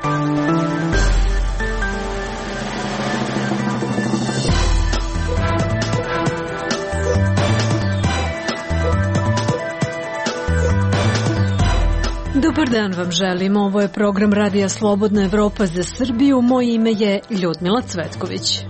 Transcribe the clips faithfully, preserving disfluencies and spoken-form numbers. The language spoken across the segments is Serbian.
Dobar dan vam želim, ovo je program Radija Slobodna Evropa za Srbiju, moje ime je Ljudmila Cvetković.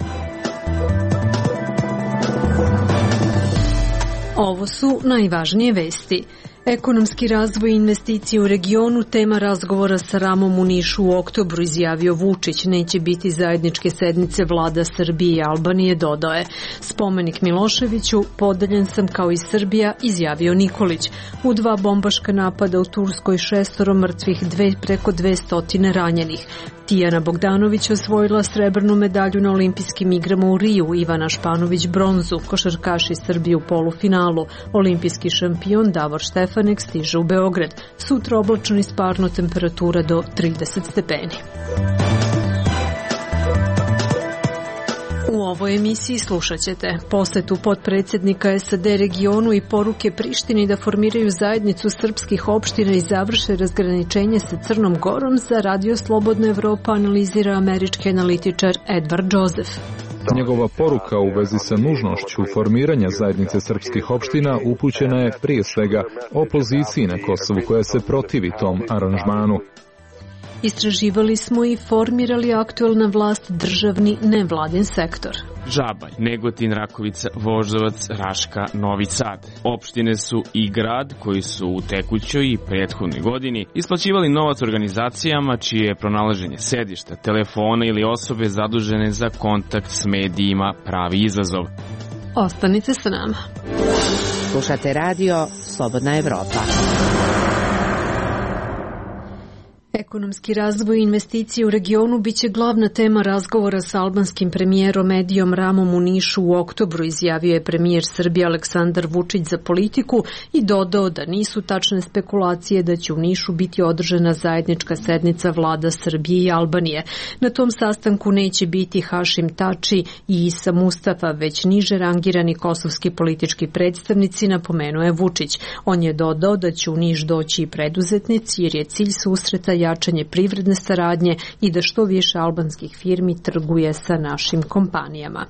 Ovo su najvažnije vesti. Ekonomski razvoj i investicije u regionu, tema razgovora sa Ramom u Nišu u oktobru, izjavio Vučić. Neće biti zajedničke sednice vlada Srbije i Albanije, dodao je. Spomenik Miloševiću, podeljen sam kao i Srbija, izjavio Nikolić. U dva bombaška napada u Turskoj, šestoro mrtvih, dve, preko dvestotine ranjenih. Tijana Bogdanović osvojila srebrnu medalju na olimpijskim igrama u Riju, Ivana Španović bronzu, košarkaši Srbije u polufinalu. Olimpijski šampion Davor Štefanek stiže u Beograd. Sutra oblačno i sparno, temperatura do trideset stepeni. U ovoj emisiji slušat ćete posetu potpredsjednika S A D regionu i poruke Prištini da formiraju zajednicu srpskih opština i završe razgraničenje sa Crnom Gorom. Za Radio Slobodna Evropa analizira američki analitičar Edward Joseph. Njegova poruka u vezi sa nužnošću formiranja zajednice srpskih opština upućena je prije svega opoziciji na Kosovu koja se protivi tom aranžmanu. Istraživali smo i formirali aktuelna vlast državni nevladin sektor. Žabanj, Negotin, Rakovica, Voždovac, Raška, Novi Sad. Opštine su i grad koji su u tekućoj i prethodnoj godini isplaćivali novac organizacijama čije je pronalaženje sedišta, telefona ili osobe zadužene za kontakt s medijima pravi izazov. Ostanite sa nama. Slušate radio Slobodna Evropa. Ekonomski razvoj i investicije u regionu biće glavna tema razgovora sa albanskim premijerom Edijom Ramom u Nišu u oktobru, izjavio je premijer Srbije Aleksandar Vučić za Politiku i dodao da nisu tačne spekulacije da će u Nišu biti održana zajednička sednica vlada Srbije i Albanije. Na tom sastanku neće biti Hašim Tači i Isa Mustafa, već niže rangirani kosovski politički predstavnici, napomenuo je Vučić. On je dodao da će u Niš doći i preduzetnici jer je cilj susreta jačanje privredne saradnje i da što više albanskih firmi trguje sa našim kompanijama.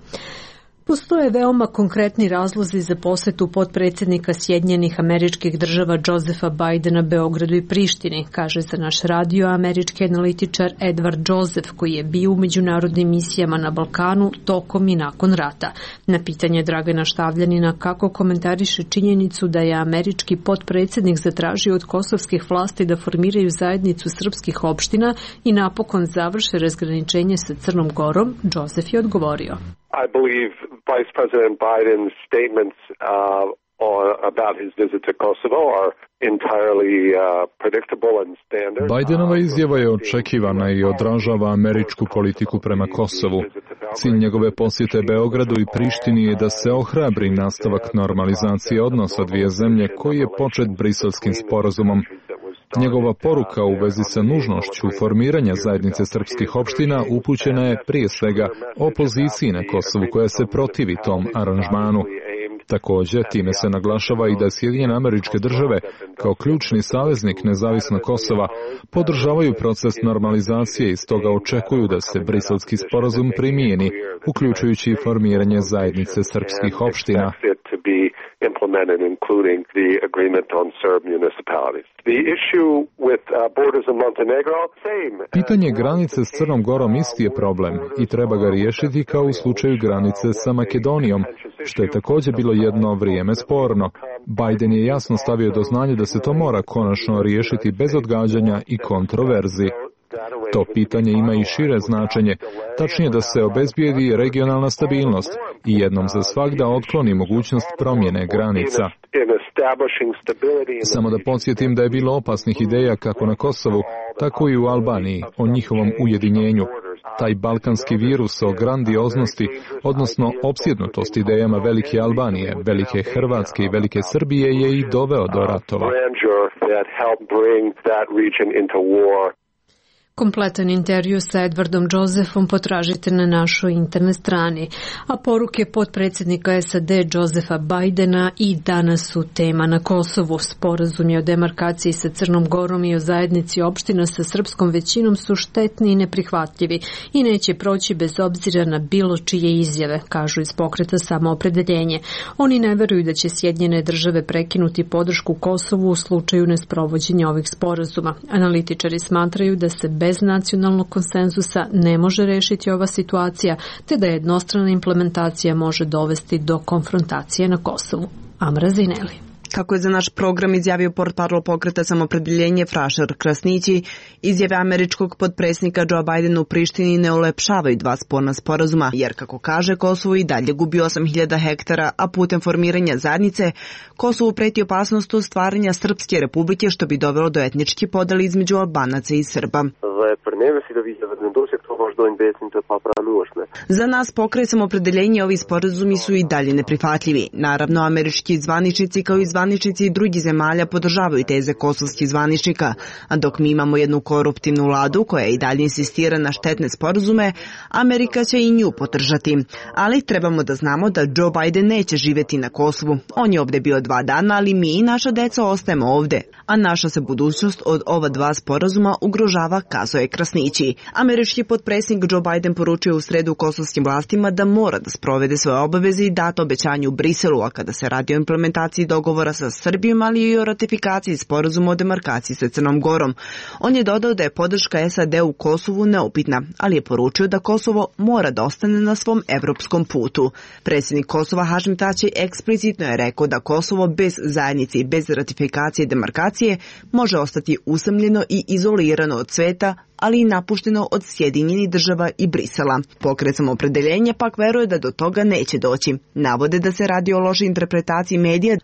Postoje veoma konkretni razlozi za posetu potpredsjednika Sjedinjenih Američkih Država Josepha Bidena Beogradu i Prištini, kaže za naš radio američki analitičar Edward Joseph, koji je bio u međunarodnim misijama na Balkanu tokom i nakon rata. Na pitanje Dragana Štavljanina kako komentariše činjenicu da je američki potpredsjednik zatražio od kosovskih vlasti da formiraju zajednicu srpskih opština i napokon završe razgraničenje sa Crnom Gorom, Joseph je odgovorio. I believe Vice President Biden's statements uh, on, about his visit to Kosovo are entirely uh, predictable and standard. Bidenova izjava je očekivana i odražava američku politiku prema Kosovu. Cilj njegove posjete Beogradu i Prištini je da se ohrabri nastavak normalizacije odnosa dvije zemlje koji je počet Briselskim sporazumom. Njegova poruka u vezi sa nužnošću formiranja zajednice srpskih opština upućena je prije svega opoziciji na Kosovu koja se protivi tom aranžmanu. Također, time se naglašava i da Sjedinjene Američke Države, kao ključni saveznik nezavisnog Kosova, podržavaju proces normalizacije i stoga očekuju da se Briselski sporazum primijeni, uključujući i formiranje zajednice srpskih opština. Implemented, including the agreement on Serb municipalities. The issue with uh, borders in Montenegro, same. Pitanje granice s Crnom Gorom isti je problem i treba ga riješiti kao u slučaju granice sa Makedonijom, što je također bilo jedno vrijeme sporno. Biden je jasno stavio do znanja da se to mora konačno riješiti bez odgađanja i kontroverzi. To pitanje ima i šire značenje, tačnije da se obezbijedi regionalna stabilnost i jednom za svagda otkloni mogućnost promjene granica. Samo da podsjetim da je bilo opasnih ideja kako na Kosovu, tako i u Albaniji o njihovom ujedinjenju. Taj balkanski virus o grandioznosti, odnosno opsjednutost idejama velike Albanije, velike Hrvatske i velike Srbije je i doveo do ratova. Kompletan intervju sa Edwardom Josephom potražite na našoj internet strani, a poruke potpredsjednika S A D Josepha Bidena i danas su tema na Kosovu. Sporazumi o demarkaciji sa Crnom Gorom i o zajednici opština sa srpskom većinom su štetni i neprihvatljivi i neće proći bez obzira na bilo čije izjave, kažu iz pokreta Samoopredeljenje. Oni ne veruju da će Sjedinjene države prekinuti podršku Kosovu u slučaju nesprovođenja ovih sporazuma. Analitičari smatraju da se bez nacionalnog konsenzusa ne može rešiti ova situacija, te da jednostrana implementacija može dovesti do konfrontacije na Kosovu. Amra Zineli. Kako je za naš program izjavio portparol pokreta Samoopredeljenje Frašar Krasnići, izjave američkog potpredsjednika Joe Bidena u Prištini ne ulepšavaju dva sporna sporazuma, jer kako kaže, Kosovo i dalje gubi osam hiljada hektara, a putem formiranja zajednice Kosovu preti opasnost stvaranja Srpske republike, što bi dovelo do etničke podele između Albanaca i Srba. Za nas pokret Samoopredeljenje ovi sporazumi su i dalje neprihvatljivi. Naravno, američki zvaničnici kao i zvaničnici drugih zemalja podržavaju teze kosovskih zvaničnika, a dok mi imamo jednu koruptivnu vladu koja i dalje insistira na štetne sporazume, Amerika će i nju podržati. Ali trebamo da znamo da Joe Biden neće živjeti na Kosovu. On je ovdje bio dva dana, ali mi i naša deca ostajemo ovdje, a naša se budućnost od ova dva sporazuma ugrožava, kazao je Krasnići. Američki potpredsjednik Joe Biden poručio u sredu kosovskim vlastima da mora da sprovede svoje obaveze i dato obećanje u Briselu, a kada se radi o implementaciji dogovora sa Srbijom, ali i o ratifikaciji sporazuma o demarkaciji sa Crnom Gorom. On je dodao da je podrška S A D u Kosovu neupitna, ali je poručio da Kosovo mora da ostane na svom evropskom putu. Predsjednik Kosova Hašim Tači eksplicitno je rekao da Kosovo bez zajednice i bez ratifikacije i demarkacije može ostati usamljeno i izolirano od sveta, ali i napušteno od Sjedinjenih država i Brisela. Pokret Samoopredeljenja pak veruje da do toga neće doći. Navode da se radi o lošoj interpretaciji medija.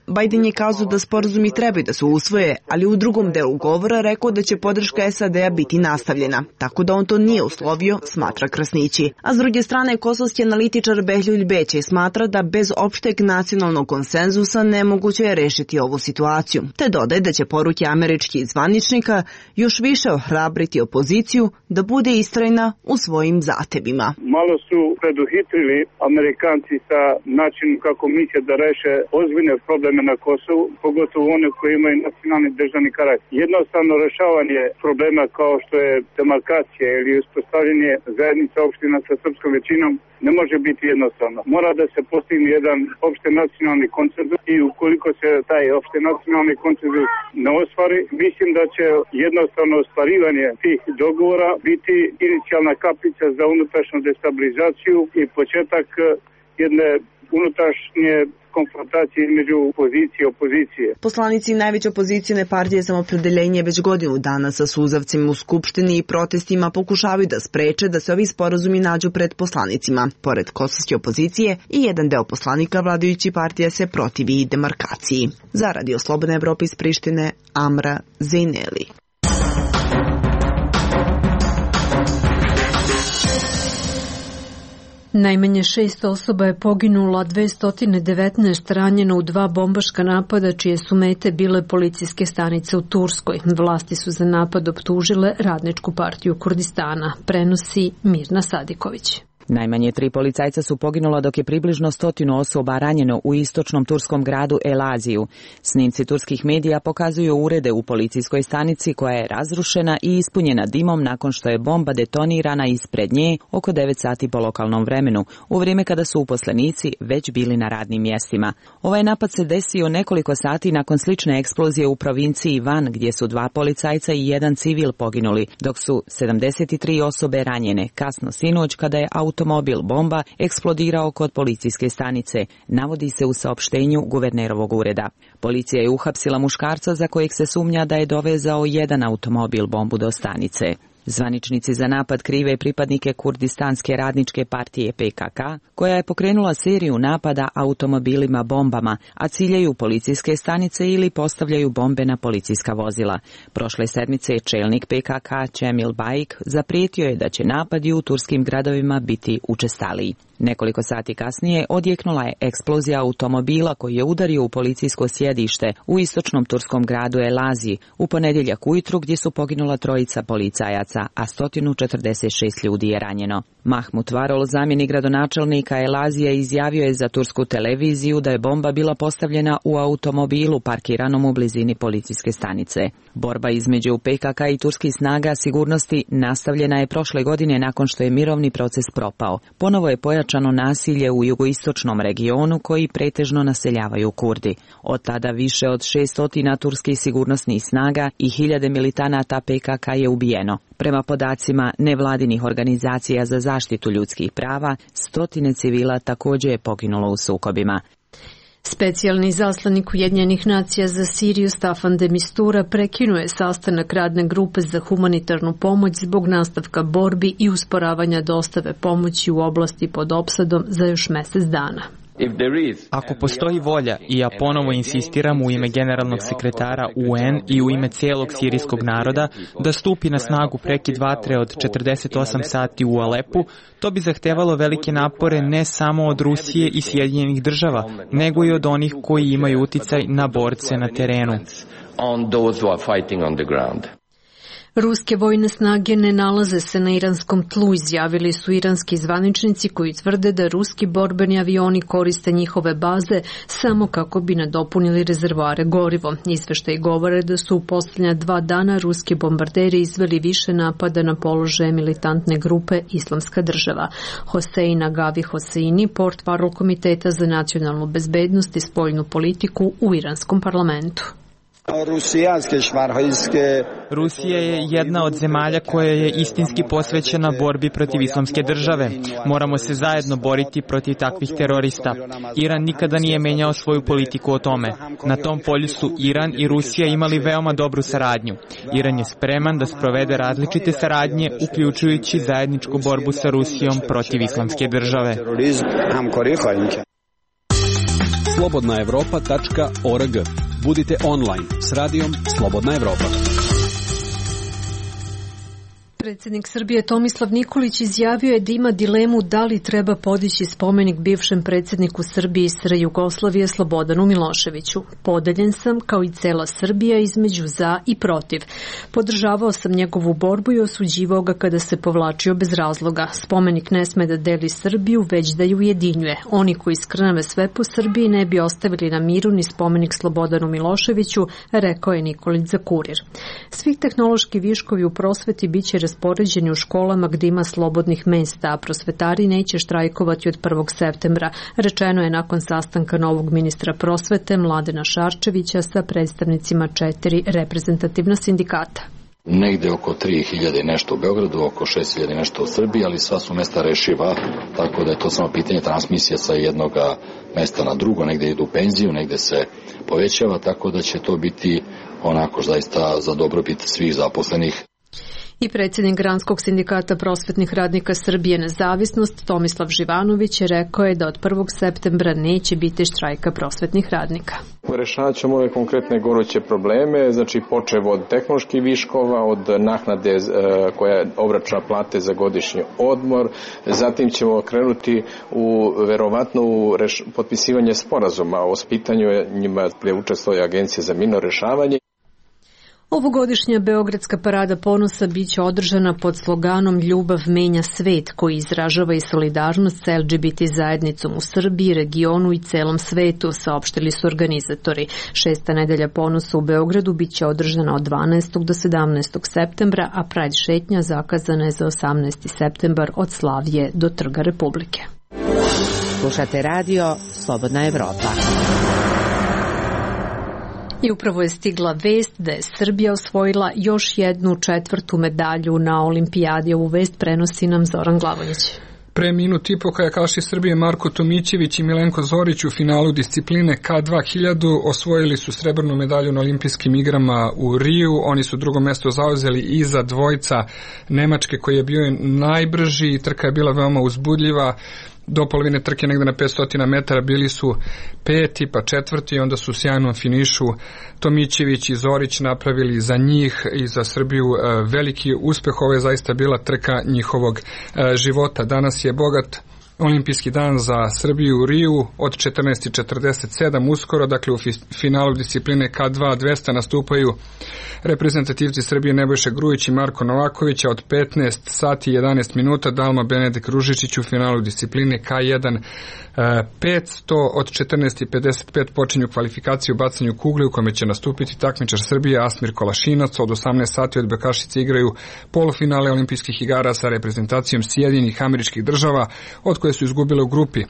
Biden je kazao da sporazumi trebaju da se usvoje, ali u drugom delu govora rekao da će podrška S A D-a biti nastavljena, tako da on to nije uslovio, smatra Krasnići. A s druge strane, kosovski analitičar Behljuj Bećej smatra da bez opšteg nacionalnog konsenzusa nemoguće je rešiti ovu situaciju, te dodaje da će poruke američkih zvaničnika još više ohrabriti opoziciju da bude istrajna u svojim zatebima. Malo su preduhitrili Amerikanci sa načinom kako misle da reše ozbiljne probleme na Kosovu, pogotovo one koji imaju nacionalni državni karakter. Jednostavno rešavanje problema kao što je demarkacija ili uspostavljanje zajednice opština sa srpskom većinom ne može biti jednostavno. Mora da se postigne jedan opšte nacionalni konsenzus i ukoliko se taj opšte nacionalni konsenzus ne ostvari, mislim da će jednostavno ostvarivanje tih dogovora biti inicijalna kapica za unutrašnju destabilizaciju i početak jedne unutrašnje konfrontacije između opozicije i opozicije. Poslanici najveće opozicijne partije Samoopredeljenje već godinu dana sa suzavcima u Skupštini i protestima pokušavaju da spreče da se ovi sporazumi nađu pred poslanicima. Pored kosovske opozicije i jedan deo poslanika vladajući partija se protivi demarkaciji. Za Radio Slobodna Evropa iz Prištine, Amra Zineli. Najmanje šest osoba je poginulo, a dvesta devetnaest ranjeno u dva bombaška napada čije su mete bile policijske stanice u Turskoj. Vlasti su za napad optužile Radničku partiju Kurdistana, prenosi Mirna Sadiković. Najmanje tri policajca su poginula dok je približno stotinu osoba ranjeno u istočnom turskom gradu Elaziju. Snimci turskih medija pokazuju urede u policijskoj stanici koja je razrušena i ispunjena dimom nakon što je bomba detonirana ispred nje oko devet sati po lokalnom vremenu, u vrijeme kada su uposlenici već bili na radnim mjestima. Ovaj napad se desio nekoliko sati nakon slične eksplozije u provinciji Van, gdje su dva policajca i jedan civil poginuli, dok su sedamdeset tri osobe ranjene kasno sinoć kada je auto automobil bomba eksplodirao kod policijske stanice, navodi se u saopštenju guvernerovog ureda. Policija je uhapsila muškarca za kojeg se sumnja da je dovezao jedan automobil bombu do stanice. Zvaničnici za napad krive pripadnike Kurdistanske radničke partije P K K, koja je pokrenula seriju napada automobilima bombama, a ciljaju policijske stanice ili postavljaju bombe na policijska vozila. Prošle sedmice čelnik P K K Cemil Baik zaprijetio je da će napadi u turskim gradovima biti učestaliji. Nekoliko sati kasnije odjeknula je eksplozija automobila koji je udario u policijsko sjedište u istočnom turskom gradu Elaziji u ponedjeljak ujutru gdje su poginula trojica policajaca, a sto četrdeset šest ljudi je ranjeno. Mahmut Varol, zamjenik gradonačelnika Elazije, izjavio je za tursku televiziju da je bomba bila postavljena u automobilu parkiranom u blizini policijske stanice. Borba između P K K i turskih snaga sigurnosti nastavljena je prošle godine nakon što je mirovni proces propao. Ponovo je pojačano nasilje u jugoistočnom regionu koji pretežno naseljavaju Kurdi. Od tada više od šesnaest turskih sigurnosnih snaga i hiljade militanata P K K je ubijeno. Prema podacima nevladinih organizacija za zaštitu ljudskih prava, stotine civila također je poginulo u sukobima. Specijalni zaslanik Ujedinjenih nacija za Siriju Staffan de Mistura prekinuje sastanak radne grupe za humanitarnu pomoć zbog nastavka borbi i usporavanja dostave pomoći u oblasti pod opsadom za još mjesec dana. Ako postoji volja, i ja ponovo insistiram u ime generalnog sekretara U N i u ime cijelog sirijskog naroda, da stupi na snagu prekid vatre od četrdeset osam sati u Alepu, to bi zahtevalo velike napore ne samo od Rusije i Sjedinjenih država, nego i od onih koji imaju uticaj na borce na terenu. Ruske vojne snage ne nalaze se na iranskom tlu, izjavili su iranski zvaničnici koji tvrde da ruski borbeni avioni koriste njihove baze samo kako bi nadopunili rezervoare gorivo. Izveštaji govore da su u posljednja dva dana ruski bombarderi izveli više napada na položaje militantne grupe Islamska država. Hosein Agavi Hoseini, portparol Komiteta za nacionalnu bezbednost i spoljnu politiku u iranskom parlamentu. Rusija je jedna od zemalja koja je istinski posvećena borbi protiv islamske države. Moramo se zajedno boriti protiv takvih terorista. Iran nikada nije menjao svoju politiku o tome. Na tom polju su Iran i Rusija imali veoma dobru saradnju. Iran je spreman da sprovede različite saradnje, uključujući zajedničku borbu sa Rusijom protiv islamske države. slobodna evropa tačka org. Budite online s radijom Slobodna Evropa. Predsjednik Srbije Tomislav Nikolić izjavio je da ima dilemu da li treba podići spomenik bivšem predsjedniku Srbije i S R Jugoslavije Slobodanu Miloševiću. Podeljen sam, kao i cela Srbija, između za i protiv. Podržavao sam njegovu borbu i osuđivao ga kada se povlačio bez razloga. Spomenik ne sme da deli Srbiju, već da ju ujedinjuje. Oni koji skrnave sve po Srbiji ne bi ostavili na miru ni spomenik Slobodanu Miloševiću, rekao je Nikolić za Kurir. Svi tehnološki viškovi u prosveti biće raspoređeni u školama gdje ima slobodnih mesta, a prosvetari neće štrajkovati od prvog septembra, rečeno je nakon sastanka novog ministra prosvete Mladena Šarčevića sa predstavnicima četiri reprezentativna sindikata. Negde oko tri hiljade nešto u Beogradu, oko šest hiljada nešto u Srbiji, ali sva su mesta rešiva, tako da je to samo pitanje transmisije sa jednog mesta na drugo, negde idu u penziju, negde se povećava, tako da će to biti onako zaista za dobrobit svih zaposlenih. I predsjednik Granskog sindikata prosvetnih radnika Srbije Nezavisnost Tomislav Živanović rekao je da od prvog septembra neće biti štrajka prosvetnih radnika. Rešavat ćemo ove konkretne goruće probleme, znači počev od tehnoloških viškova, od naknade koja obračuna plate za godišnji odmor, zatim ćemo krenuti u verovatno u reš, potpisivanje sporazuma o spitanju njima gdje učestvuje Agencija za mirno rešavanje. Ovogodišnja Beogradska parada ponosa biće održana pod sloganom Ljubav menja svet, koji izražava i solidarnost sa L G B T zajednicom u Srbiji, regionu i celom svetu, saopštili su organizatori. Šesta nedelja ponosa u Beogradu biće održana od dvanaestog do sedamnaestog septembra, a Pride šetnja zakazana je za osamnaesti septembar od Slavije do Trga Republike. Slušate radio Slobodna Evropa. I upravo je stigla vest da je Srbija osvojila još jednu četvrtu medalju na olimpijadi. Ovu vest prenosi nam Zoran Glavonjić. Pre minut i po kajakaši Srbije Marko Tomićević i Milenko Zorić u finalu discipline K dva hiljadu osvojili su srebrnu medalju na olimpijskim igrama u Riju. Oni su drugo mesto zauzeli iza dvojca Nemačke koji je bio najbrži i trka je bila veoma uzbudljiva. Do polovine trke negde na petsto metara bili su peti pa četvrti i onda su u sjajnom finišu Tomićević i Zorić napravili za njih i za Srbiju veliki uspeh. Ovo je zaista bila trka njihovog života. Danas je bogat olimpijski dan za Srbiju u Riju od četrnaest četrdeset sedam uskoro, dakle u finalu discipline K dva dvesta nastupaju reprezentativci Srbije Nebojša Grujić i Marko Novaković, a od petnaest sati i jedanaest minuta Dalma Benedek Ružičić u finalu discipline K jedan petsto. Od četrnaest pedeset pet počinju kvalifikacije u bacanju kugle u kome će nastupiti takmičar Srbije Asmir Kolašinac. Od osamnaest sati od Bekašice igraju polufinale olimpijskih igara sa reprezentacijom Sjedinjenih Američkih Država, od koje su izgubile u grupi.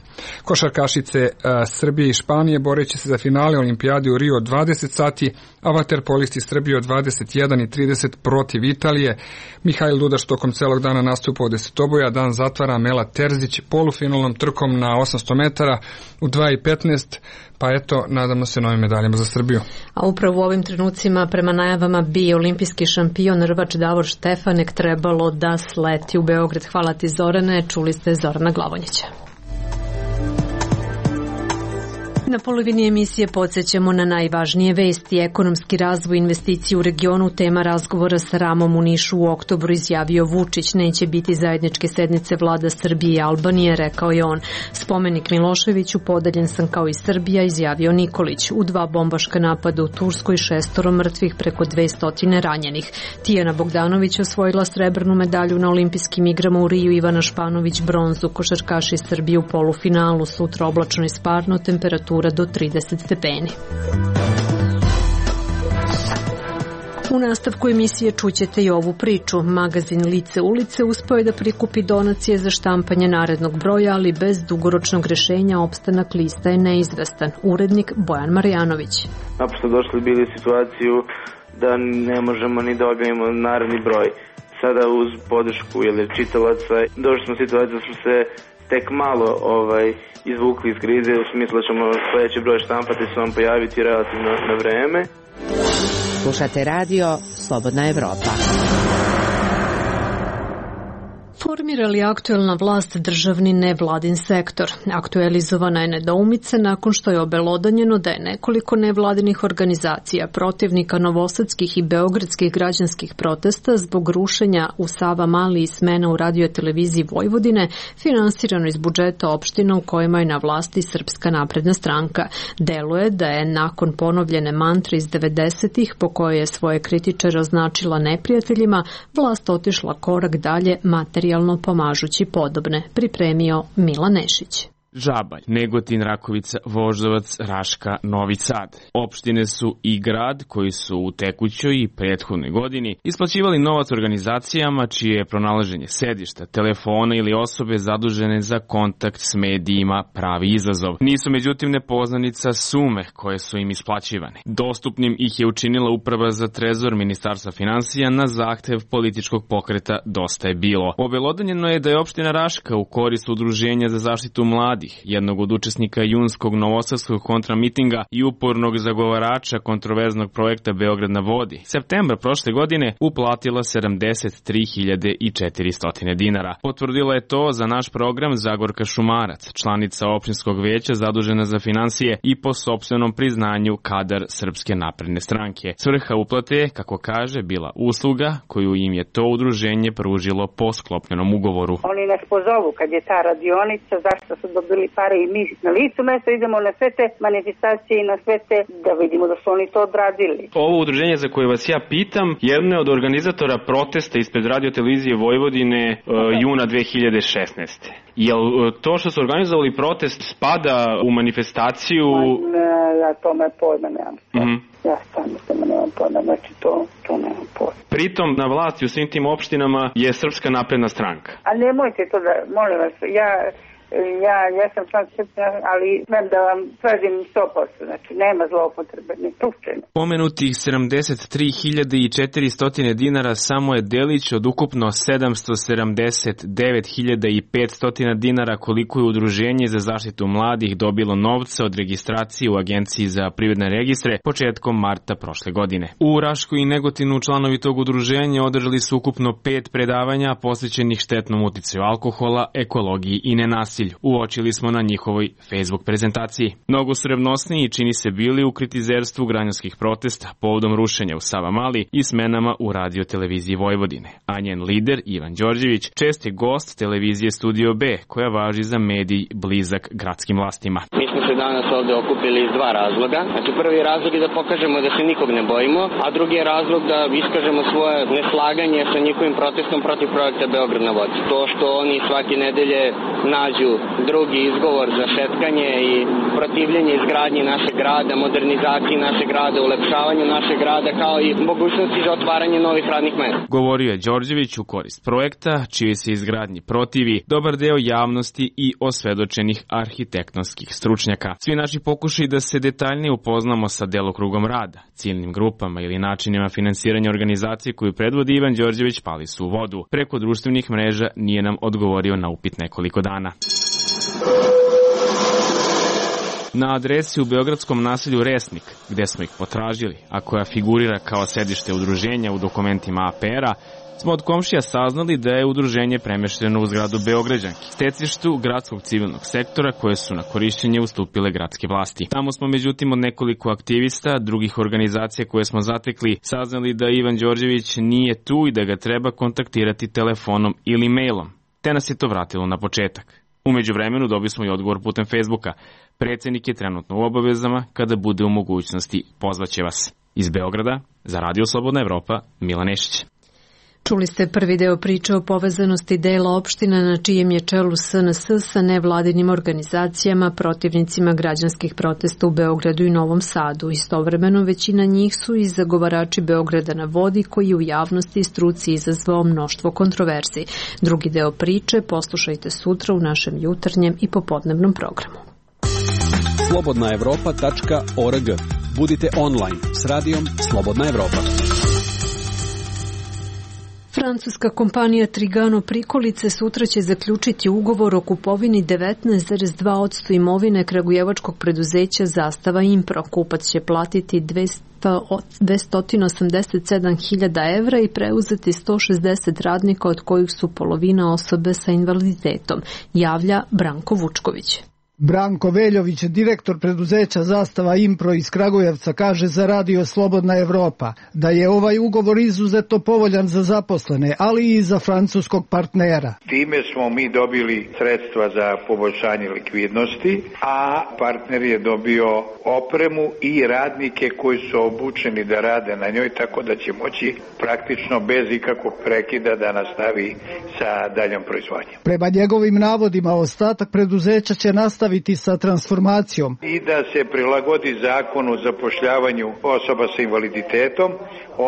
Košarkašice Srbije i Španije boreće se za finale olimpijade u Rio od dvadeset sati, a vaterpolisti Srbije od dvadeset jedan i trideset protiv Italije. Mihajl Dudaš tokom celog dana nastupa od desetoboja, dan zatvara Mela Terzić polufinalnom trkom na osamsto metara u dva i petnaest, pa eto, nadamo se novim medaljama za Srbiju. A upravo u ovim trenucima, prema najavama, bi olimpijski šampion rvač Davor Štefanek trebalo da sleti u Beograd. Hvala ti, Zorane, čuli ste Zorana Glavonjića. Na polovini emisije podsjećamo na najvažnije vesti. Ekonomski razvoj investicije u regionu, tema razgovora sa Ramom u Nišu u oktobru, izjavio Vučić. Neće biti zajedničke sednice vlada Srbije i Albanije, rekao je on. Spomenik Miloševiću, podeljen sam kao i Srbija, izjavio Nikolić. U dva bombaška napada u Turskoj, šestoro mrtvih, preko dvesta ranjenih. Tijana Bogdanović osvojila srebrnu medalju na olimpijskim igrama u Riju, Ivana Španović bronzu. Košarkaši Srbije u polufinalu, sutra oblačno i sparno, temperatura do trideset stepeni. U nastavku emisije čućete i ovu priču. Magazin Lice ulice uspeo je da prikupi donacije za štampanje narednog broja, ali bez dugoročnog rešenja opstanak lista je neizvestan. Urednik Bojan Marjanović. Naprosto došli bili u situaciju da ne možemo ni da objavimo naredni broj. Sada uz podršku ili čitalaca došli smo u situaciju da smo se tek malo ovaj, izvukli iz krize, u smislu da ćemo sledeći broj štampati se vam pojaviti relativno na vreme. Slušate radio Slobodna Evropa. Formira li aktuelna vlast državni nevladin sektor? Aktualizovana je nedoumica nakon što je obelodanjeno da je nekoliko nevladinih organizacija protivnika novosadskih i beogradskih građanskih protesta zbog rušenja u Sava Mali i smena u radioteleviziji Vojvodine finansirano iz budžeta opština u kojima je na vlasti Srpska napredna stranka. Deluje da je nakon ponovljene mantre iz devedesetih po kojoj je svoje kritičare označila neprijateljima, vlast otišla korak dalje materijalno pomažući podobne, pripremio Milan Nešić. Žabalj, Negotin, Rakovica, Voždovac, Raška, Novi Sad. Opštine su i grad koji su u tekućoj i prethodnoj godini isplaćivali novac organizacijama čije je pronalaženje sedišta, telefona ili osobe zadužene za kontakt s medijima pravi izazov. Nisu međutim nepoznanica sume koje su im isplaćivane. Dostupnim ih je učinila Uprava za trezor Ministarstva finansija na zahtev političkog pokreta Dosta je bilo. Obelodanjeno je da je opština Raška u korist Udruženja za zaštitu mladih, jednog od učesnika junskog novosadskog kontramitinga i upornog zagovarača kontroverznog projekta Beograd na vodi, septembra prošle godine uplatila sedamdeset tri hiljade četiristo dinara. Potvrdila je to za naš program Zagorka Šumarac, članica opštinskog veća zadužena za finansije i po sopstvenom priznanju kadar Srpske napredne stranke. Svrha uplate je, kako kaže, bila usluga koju im je to udruženje pružilo po sklopljenom ugovoru. Oni nas pozovu kad je ta radionica, zašto su dobili pare i mi na licu mesta idemo na sve te manifestacije i na sve te da vidimo da su oni to odradili. Ovo udruženje za koje vas ja pitam, jedno je od organizatora protesta ispred radiotelevizije Vojvodine uh, juna dve hiljade šesnaeste. Jel to što su organizovali protest spada u manifestaciju? Ma, ne, ja tome pojma nemam. Mm-hmm. Ja stvarno tome nemam pojma, znači to, to nemam pojma. Pritom na vlasti u svim tim opštinama je Srpska napredna stranka. A nemojte to da, molim vas, ja... Ja, ja sam član Srpske, ali znam da vam tražim sto posto, znači nema zloupotrebe, ni slučajno. Pomenutih sedamdeset tri hiljade četiristo dinara samo je delić od ukupno sedamsto sedamdeset devet hiljada petsto dinara koliko je Udruženje za zaštitu mladih dobilo novca od registracije u Agenciji za privredne registre početkom marta prošle godine. U Rašku i Negotinu članovi tog udruženja održali su ukupno pet predavanja posvećenih štetnom uticaju alkohola, ekologiji i nenasilju. nasilju, uočili smo na njihovoj Facebook prezentaciji. Mnogo su revnosniji čini se bili u kritizerstvu građanskih protesta povodom rušenja u Savamali i smenama u radio televiziji Vojvodine. A njen lider, Ivan Đorđević, čest je gost televizije Studio B, koja važi za medij blizak gradskim vlastima. Mi smo se danas ovde okupili iz dva razloga. Znači, prvi razlog je da pokažemo da se nikog ne bojimo, a drugi je razlog da iskažemo svoje neslaganje sa njihovim protestom protiv projekta Beograd na vodi. To što oni svake nedelje nađu drugi izgovor za šetkanje i protivljenje izgradnji našeg grada, modernizaciji našeg grada, ulepšavanju našeg grada, kao i mogućnosti za otvaranje novih radnih mesta. Govorio je Đorđević u korist projekta, čiji se izgradnji protivi dobar deo javnosti i osvedočenih arhitektonskih stručnjaka. Svi naši pokušaji da se detaljnije upoznamo sa delokrugom rada, ciljnim grupama ili načinima finansiranja organizacije koju predvodi Ivan Đorđević pali su u vodu. Preko društvenih mreža nije nam odgovorio na upit nekoliko dana. Na adresi u beogradskom naselju Resnik, gde smo ih potražili, a koja figurira kao sedište udruženja u dokumentima A P R-a, smo od komšija saznali da je udruženje premešteno u zgradu Beograđanki, stecištu gradskog civilnog sektora koje su na korišćenje ustupile gradske vlasti. Tamo smo međutim od nekoliko aktivista, drugih organizacija koje smo zatekli, saznali da Ivan Đorđević nije tu i da ga treba kontaktirati telefonom ili mailom, te nas je to vratilo na početak. Umeđu vremenu dobili smo i odgovor putem Facebooka. Predsednik je trenutno u obavezama, kada bude u mogućnosti pozvaće vas. Iz Beograda, za Radio Slobodna Evropa, Milan Nešić. Čuli ste prvi deo priče o povezanosti dela opština na čijem je čelu S N S sa nevladinim organizacijama, protivnicima građanskih protesta u Beogradu i Novom Sadu. Istovremeno većina njih su i zagovarači Beograda na vodi, koji u javnosti i struci izazvao mnoštvo kontroverzi. Drugi deo priče poslušajte sutra u našem jutarnjem i popodnevnom programu. slobodna evropa tačka org. Budite online s radijom Slobodna Evropa. Francuska kompanija Trigano Prikolice sutra će zaključiti ugovor o kupovini devetnaest zarez dva posto imovine kragujevačkog preduzeća Zastava Impro. Kupac će platiti dvesta osamdeset sedam hiljada evra i preuzeti sto šezdeset radnika, od kojih su polovina osobe sa invaliditetom, javlja Branko Vučković. Branko Veljović, direktor preduzeća Zastava Impro iz Kragujevca, kaže za Radio Slobodna Evropa da je ovaj ugovor izuzetno povoljan za zaposlene, ali i za francuskog partnera. Time smo mi dobili sredstva za poboljšanje likvidnosti, a partner je dobio opremu i radnike koji su obučeni da rade na njoj, tako da će moći praktično bez ikakvog prekida da nastavi sa daljom proizvodnjom. Prema njegovim navodima, ostatak preduzeća će nastaviti sa transformacijom i da se prilagodi zakonu o zapošljavanju osoba sa invaliditetom,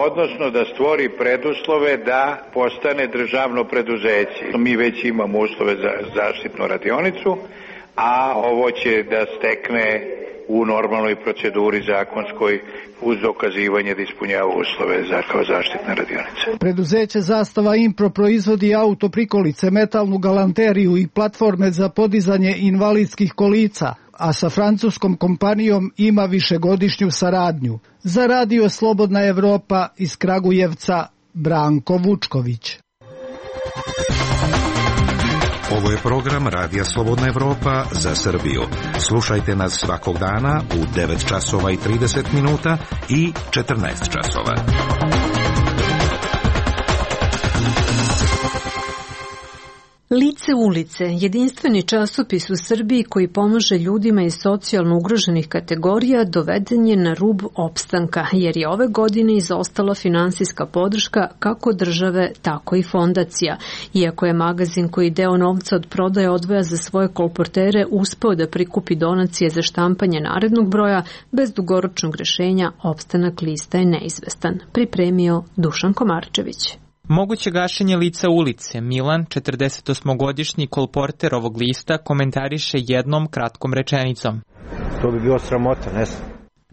odnosno da stvori preduslove da postane državno preduzeće. Mi već imamo uslove za zaštitnu radionicu, a ovo će da stekne u normalnoj proceduri zakonskoj uz dokazivanje da ispunjava uslove za kao zaštitna radionica. Preduzeće Zastava Impro proizvodi auto prikolice, metalnu galanteriju i platforme za podizanje invalidskih kolica, a sa francuskom kompanijom ima višegodišnju saradnju. Za Radio Slobodna Evropa iz Kragujevca, Branko Vučković. Ovo je program Radija Slobodna Evropa za Srbiju. Slušajte nas svakog dana u devet časova i trideset minuta i četrnaest časova. Lice ulice, jedinstveni časopis u Srbiji koji pomaže ljudima iz socijalno ugroženih kategorija, doveden je na rub opstanka, jer je ove godine izostala finansijska podrška kako države, tako i fondacija. Iako je magazin koji deo novca od prodaje odvaja za svoje kolportere uspeo da prikupi donacije za štampanje narednog broja, bez dugoročnog rešenja opstanak lista je neizvestan. Pripremio Dušan Komarčević. Moguće gašenje lica ulice, Milan, četrdesetosmogodišnji kolporter ovog lista, komentariše jednom kratkom rečenicom. To bi bio sramota, ne znam.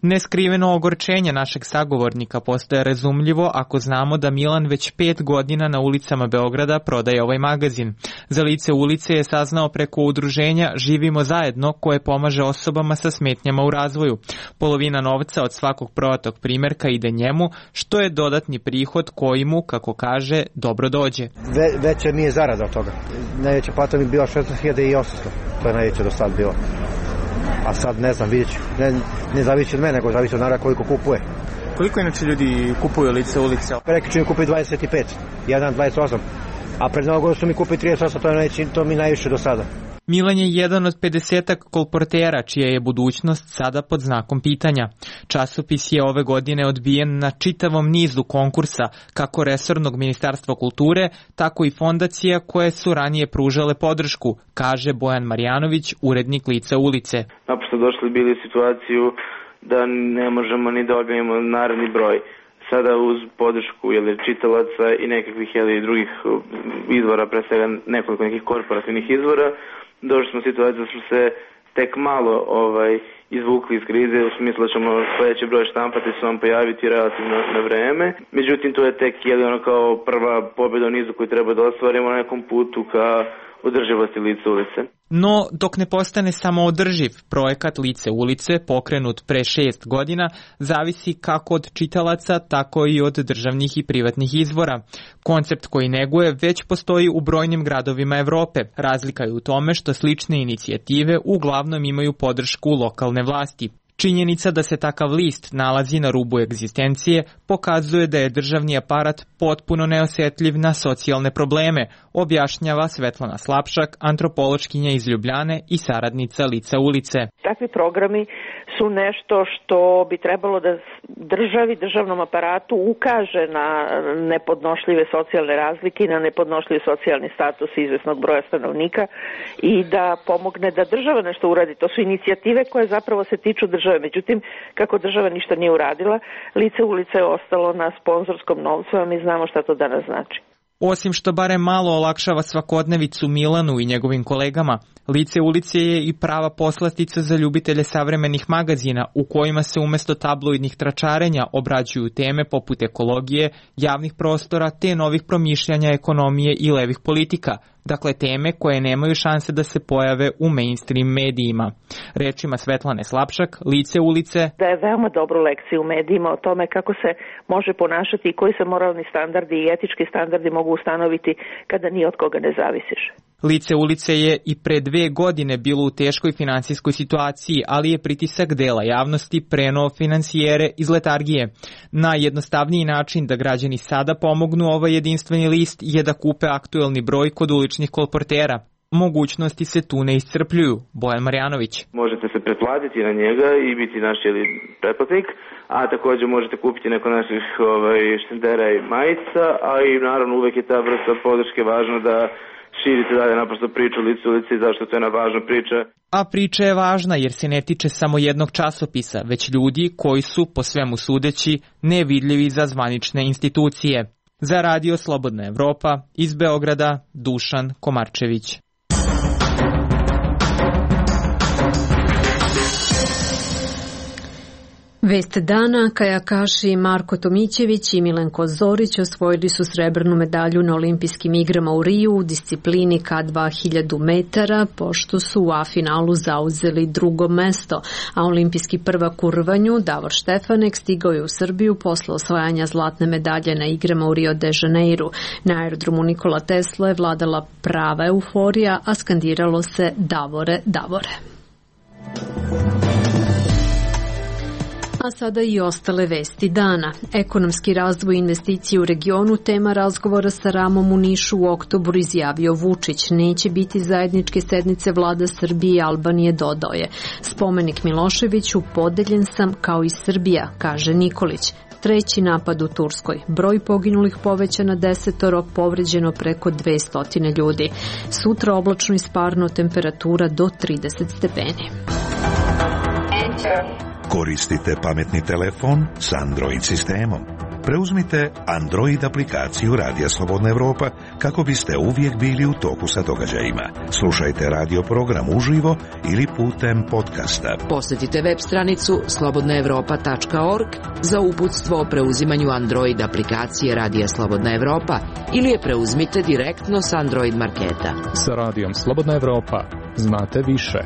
Neskriveno ogorčenje našeg sagovornika postaje razumljivo ako znamo da Milan već pet godina na ulicama Beograda prodaje ovaj magazin. Za lice ulice je saznao preko udruženja Živimo zajedno koje pomaže osobama sa smetnjama u razvoju. Polovina novca od svakog prodatog primjerka ide njemu, što je dodatni prihod koji mu, kako kaže, dobro dođe. Ve, veća mi je zarada od toga. Najveća plata mi je bila šesnaest hiljada osamsto. To je najveća do sad bilo. A sad ne znam, vidjet ću. Ne, ne zavisi od mene, nego zavisi od naravno koliko kupuje. Koliko inače ljudi kupuju lice ulice? Preki ću mi kupiti dvadeset pet, jedan dvadeset osam. A pred Novu godinu su mi kupili trideset osam, to, je to mi najviše do sada. Milan je jedan od pedesetak kolportera čija je budućnost sada pod znakom pitanja. Časopis je ove godine odbijen na čitavom nizu konkursa, kako resornog ministarstva kulture, tako i fondacija koje su ranije pružale podršku, kaže Bojan Marjanović, urednik Lica ulice. Naprosto došli bili u situaciju da ne možemo ni da objavimo naredni broj. Sada uz podršku jeli, čitalaca i nekakvih jeli, drugih izvora, pre svega nekoliko nekih korporativnih izvora, došli smo u situaciju da smo se tek malo ovaj, izvukli iz krize, u smislu da ćemo sledeći broj štampati se vam pojaviti relativno na vreme. Međutim, to je tek jeli, ono kao prva pobjeda u nizu koju treba da ostvarimo na nekom putu ka održivosti Lica ulice. No, dok ne postane samo održiv, projekat Lice ulice, pokrenut pre šest godina, zavisi kako od čitalaca, tako i od državnih i privatnih izvora. Koncept koji neguje već postoji u brojnim gradovima Evrope. Razlika je u tome što slične inicijative uglavnom imaju podršku lokalne vlasti. Činjenica da se takav list nalazi na rubu egzistencije pokazuje da je državni aparat potpuno neosjetljiv na socijalne probleme, objašnjava Svetlana Slapšak, antropološkinja iz Ljubljane i saradnica Lica ulice. Takvi programi su nešto što bi trebalo da državi, državnom aparatu ukaže na nepodnošljive socijalne razlike i na nepodnošljiv socijalni status izvesnog broja stanovnika i da pomogne da država nešto uradi. To su inicijative koje zapravo se tiču države. Međutim, kako država ništa nije uradila, Lice ulice je ostalo na sponzorskom novcu, a mi znamo šta to danas znači. Osim što barem malo olakšava svakodnevicu Milanu i njegovim kolegama, Lice ulice je i prava poslatica za ljubitelje savremenih magazina u kojima se umesto tabloidnih tračarenja obrađuju teme poput ekologije, javnih prostora te novih promišljanja ekonomije i levih politika, dakle teme koje nemaju šanse da se pojave u mainstream medijima. Rečima Svetlane Slapšak, Lice ulice da je veoma dobru lekciju u medijima o tome kako se može ponašati i koji se moralni standardi i etički standardi mogu ustanoviti kada ni od koga ne zavisiš. Lice ulice je i pre dve godine bilo u teškoj finansijskoj situaciji, ali je pritisak dela javnosti prenuo financijere iz letargije. Najjednostavniji način da građani sada pomognu ovaj jedinstveni list je da kupe aktuelni broj kod uličnih kolportera. Mogućnosti se tu ne iscrpljuju. Bojan Marjanović. Možete se pretplatiti na njega i biti naš jeli, pretplatnik, a također možete kupiti neko naših ovaj, štendera i majica, a i naravno uvek je ta vrsta podrške važna da širite dalje naprosto priču Lice ulice i zašto to je jedna važna priča. A priča je važna jer se ne tiče samo jednog časopisa, već ljudi koji su, po svemu sudeći, nevidljivi za zvanične institucije. Za Radio Slobodna Evropa, iz Beograda, Dušan Komarčević. Vest dana, kajakaši Marko Tomićević i Milenko Zorić osvojili su srebrnu medalju na olimpijskim igrama u Riju u disciplini K dva hiljadu metara, pošto su u A finalu zauzeli drugo mesto, a olimpijski prvak u rvanju Davor Štefanek stigao je u Srbiju posle osvajanja zlatne medalje na igrama u Rio de Janeiru. Na aerodromu Nikola Tesla je vladala prava euforija, a skandiralo se Davore, Davore. A sada i ostale vesti dana. Ekonomski razvoj i investicije u regionu tema razgovora sa Ramom u Nišu u oktobru, izjavio Vučić. Neće biti zajedničke sednice vlada Srbije i Albanije, dodao je. Spomenik Miloševiću, podeljen sam kao i Srbija, kaže Nikolić. Treći napad u Turskoj. Broj poginulih poveća na desetoro, povređeno preko dvesta ljudi. Sutra oblačno i sparno, temperatura do trideset stepeni. Koristite pametni telefon s Android sistemom. Preuzmite Android aplikaciju Radija Slobodna Evropa kako biste uvijek bili u toku sa događajima. Slušajte radio program uživo ili putem podcasta. Posjetite web stranicu slobodna evropa tačka org za uputstvo o preuzimanju Android aplikacije Radija Slobodna Evropa ili je preuzmite direktno s Android marketa. Sa Radijom Slobodna Evropa znate više.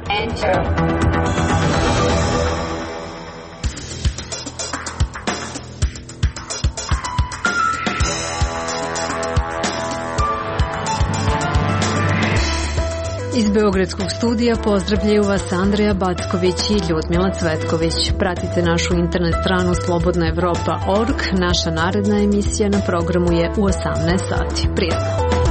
Iz Beogradskog studija pozdravljaju vas Andreja Backović i Ljudmila Cvetković. Pratite našu internet stranu slobodna evropa tačka org. Naša naredna emisija na programu je u osamnaest sati. Prijetno!